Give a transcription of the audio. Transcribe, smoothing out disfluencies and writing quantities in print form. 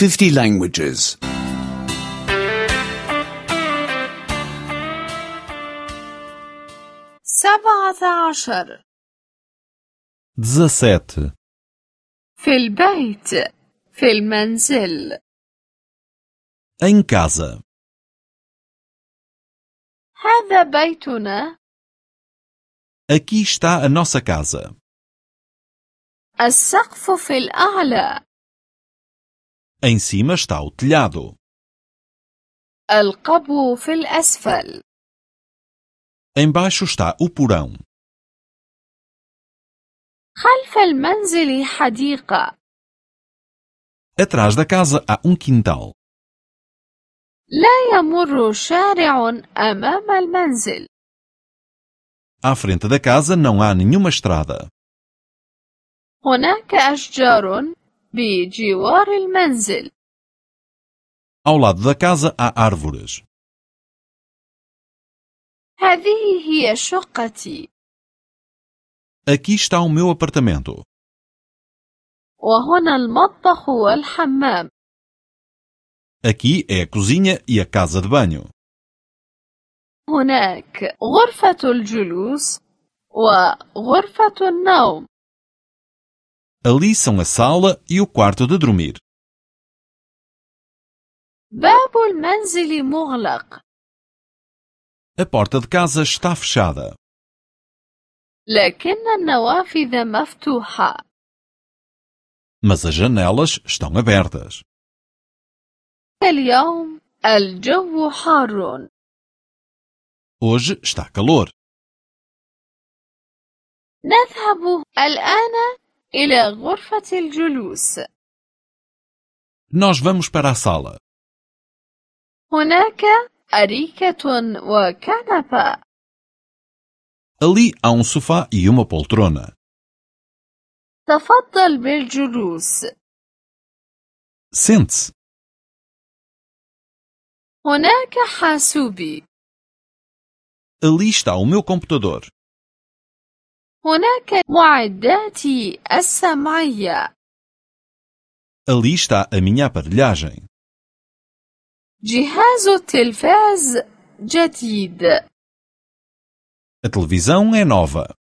50 languages. 17 17 في البيت في المنزل em casa. هذا بيتنا Aqui está a nossa casa. السقف في الأعلى Em cima está o telhado. القبو في الأسفل Embaixo está o porão. خلف المنزل حديقة Atrás da casa há quintal. لا يمر شارع أمام المنزل À frente da casa não há nenhuma estrada. هناك أشجار بجوار المنزل Ao lado da casa há árvores. هذه هي شقتي Aqui está o meu apartamento. وهنا المطبخ والحمام Aqui é a cozinha e a casa de banho. هناك غرفة الجلوس وغرفة النوم Ali são a sala e o quarto de dormir. باب المنزل مغلق A porta de casa está fechada, لكن النوافذ مفتوحة mas as janelas estão abertas. اليوم الجو حار Hoje está calor. نذهب الآن إلى غرفة الجلوس Nós vamos para a sala. هناك أريكة وكنبة Ali há sofá e uma poltrona. تفضل بالجلوس Sente-se. هناك حاسوبي Ali está o meu computador. هناك معداتي السمعية Ali está a minha aparelhagem. جهاز التلفاز جديد A televisão é nova.